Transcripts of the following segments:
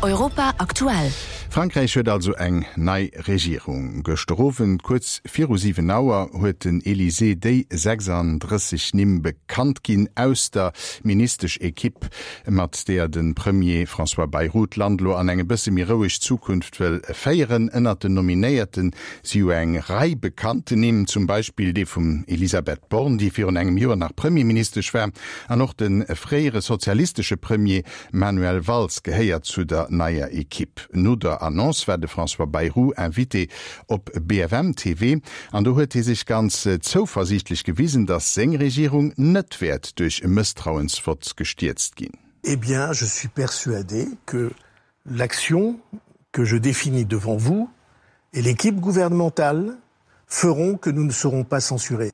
Europa aktuell. Frankräich huet also eng nei Regierung. Gëschter Owend kuerz viru 7 Auer huet den Elysée déi 36 Nimm bekannt ginn aus der Ministesch-Ekipp, mat deeër de Premier François Bayrou d'Land lo an eng e bësse méi roueg Zukunft wëll féieren. Ënnert den Nominéierte si jo eng Rei bekannten Nimm, zum Beispill dee vum Elisabeth Borne, déi virun engem Joer nach Premierministesch war, an och de fréiere sozialistesche Premier Manuel Valls gehéiert zu der neier Ekipp. No der Annonce war de François Bayrou Invité op BFM TV an do huet hie sech ganz zouversiichtlech gewisen, datt seng Regierung net wäert duerch e Mësstrauensvott gestierzt ginn. Eh bien, je suis persuadé que l'action que je définis devant vous et l'équipe gouvernementale feront que nous ne serons pas censurés.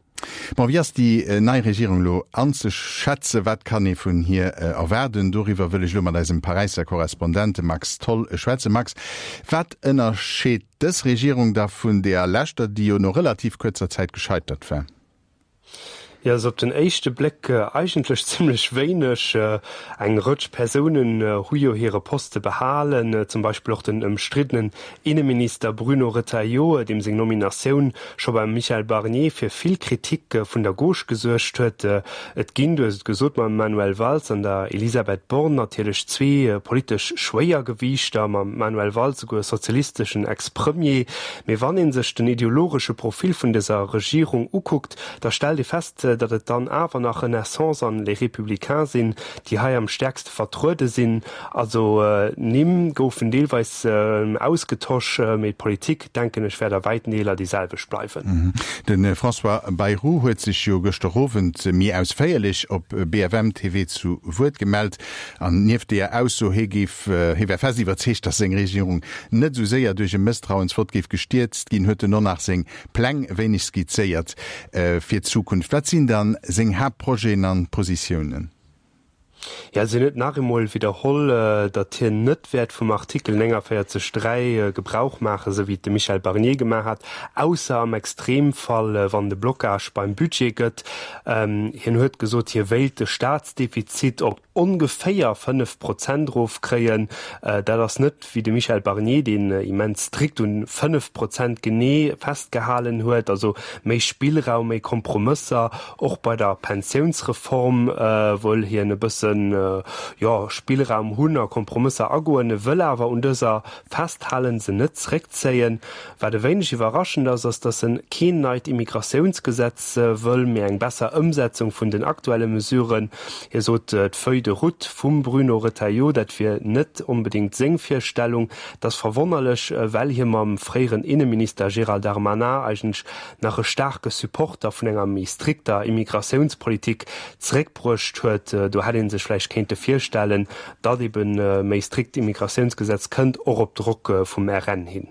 Bon, wéi ass déi nei Regierung elo anzeschätzen? Wat kann ee vun hir erwaarden? Doriwwer wëll ech elo mat eisem Paräisser Korrespondent, dem Max Tholl, schwätzen. Max, wat ënnerscheet dës Regierung da vun deeër leschter, déi jo no relativ kuerzer Zäit gescheitert war? Jo, also op den éischte Bléck eigentlech zimlech wéineg. Eng Rëtsch Persounen hu jo hire Poste behalen, zum Beispill och den ëmstriddenen Inneminister Bruno Retailleau, deem seng Nominatioun scho beim Michel Barnier fir vill Kritik vun der Gauche gesuergt huet. Et ginn, du hues et gesot, mam Manuel Valls an der Elisabeth Borne natierlech zwee politesch Schwéiergewiichter, mam Manuel Valls souguer e sozialisteschen Ex-Premier. Mee wann ee sech den ideologesche Profil vun dëser Regierung ukuckt, da stellt ee fest, datt et dann awer nach Renaissance an Les Républicains sinn, déi hei am stäerkste vertruede sinn. Also Nimm goufen deelweis ausgetosch, mee d'Politik, denken ech, wäert a wäiten Deeler déi selwecht bleiwen. De François Bayrou huet sech jo gëschter Owend méi ausféierlech op BFM TV zu Wuert gemellt. An nieft deeër Ausso, hie géif, hie wär fest iwwerzeegt, datt seng Regierung net esou séier duerch e Mësstrauensvott géif gestierzt ginn, huet en och nach seng Pläng e wéineg skizzéiert fir d'Zukunft. Wat sinn dann seng Haaptprojeten an Positiounen? Jo, also hien huet nach eemol widderholl, datt hien net wäert vum Artikel 49, 3 Gebrauch maachen, esou wéi et de Michel Barnier gemaach hat, ausser am Extremfall, wann et e Blocage beim Budget gëtt. Hien huet gesot, hie wéilt de Staatsdefizit op ongeféier 5 Prozent erofkréien. Dat ass net wéi de Michel Barnier, deen immens strikt un 5 Prozent genee festgehalen huet. Also méi Spillraum, méi Kompromësser. Och bei der Pensiounsreform wëll hien e bëssen, jo, Spillraum hunn a Kompromësser agoen. E wëll awer un dëser festhalen, se net zeréckzéien. Wat e wéineg iwwerraschend ass, ass, datt en keen neit Immigratiounsgesetz wëll, mee eng besser Ëmsetzung vun den aktuelle Mesuren. Hie sot, d'Feuille de route vum Bruno Retailleau, dat wier net onbedéngt seng Virstellung. Dat ass verwonnerlech, well hie mam fréieren Inneminister Gérald Darmanin eigentlech nach e staarke Supporter vun enger méi strikter Immigratiounspolitik zeréckbruecht huet. Do hätt ee sech vläicht kéinte virstellen, datt eben e méi strikt Immigratiounsgesetz kënnt, och op Drock vum RN hin.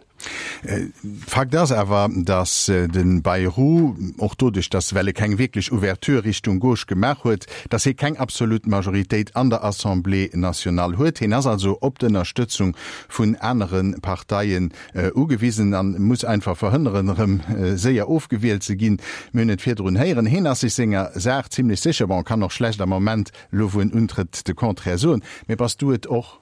Fakt ass awer, datt de Bayrou, och doduerch, datt well e keng wierklech Ouverture Richtung Gauche gemaach huet, datt hie keng absolut Majoritéit an der Assemblée nationale huet. Hien ass also op d'Ënnerstëtzung vun anere Parteien ugewisen a muss einfach verhënneren, erëm séier ofgewielt ze ginn. Mir hunn et virdrun héieren, hien ass sech senger Saach zimlech sécher. Bon, kann och schlecht am Moment, elo wou en untrëtt, de Contraire soen. Mee bass du et och?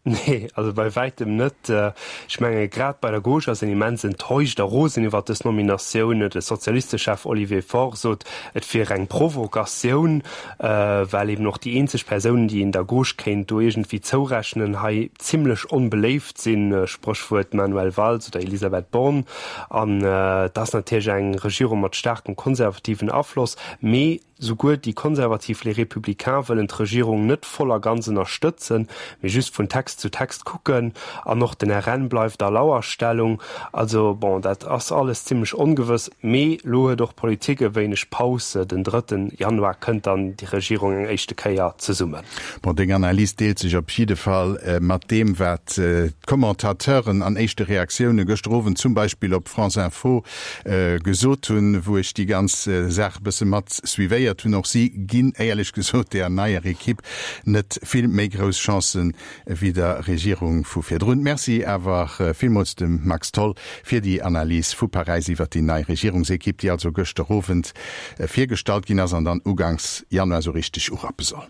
Nee, also bei wäitem net. Ech menge grad bei der Gauche ass een immens enttäuscht a rosen iwwert dës Nominatioun. De Sozialistechef Olivier Faure sot, et wier eng Provokatioun, well eben och déi eenzeg Persounen, déi een der Gauche kéint do iergendwéi zourechnen, hei zimlech onbeléift sinn, Spréchwuert Manuel Valls oder Elisabeth Borne. An et ass natierlech eng Regierung mat staarkem konservativen Afloss, mee Souguer déi konservativ Les Républicains wëllen d'Regierung net voll a ganz ënnerstëtzen, mee just vun Text zu Text kucken. An och den RN bleift a Lauerstellung. Also bon, dat ass alles zimmlech ongewëss. Mee lo huet och d'Politik e wéineg Paus. Den drëtten Januar kënnt dann déi Regierung eng éischte Kéier zesummen. Bon, deng Analys deelt sech op jidde Fall mat deem, wat d'Commentateuren an éischte Reaktioune gëschter Owend zum Beispill op France Info gesot hunn, wou ech déi ganz Saach e bësse mat suivéiert hunn. Och si ginn, éierlech gesot, där neier Ekipp net vill méi grouss Chancen ewéi der Regierung vu virdrun. Merci awer villmools dem Max Tholl fir déi Analys vu Paräis iwwert déi nei Regierungsekipp, déi also gëschter Owend virgestallt ginn ass an dann uganks Januar esou richteg urappe soll.